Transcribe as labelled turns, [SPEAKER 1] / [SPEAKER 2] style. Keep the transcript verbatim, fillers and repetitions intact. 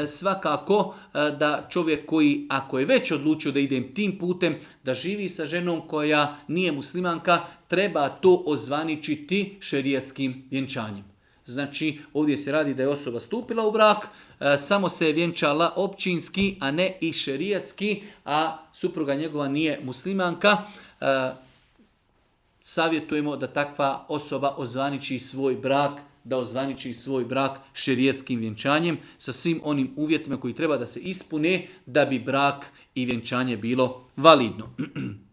[SPEAKER 1] svakako da čovjek koji, ako je već odlučio da ide tim putem, da živi sa ženom koja nije muslimanka, treba to ozvaničiti šerijetskim vjenčanjem. Znači, ovdje se radi da je osoba stupila u brak, samo se je vjenčala općinski, a ne i šerijatski, a supruga njegova nije muslimanka. Savjetujemo da takva osoba ozvaniči svoj brak, da ozvaniči svoj brak šerijetskim vjenčanjem sa svim onim uvjetima koji treba da se ispune da bi brak i vjenčanje bilo validno.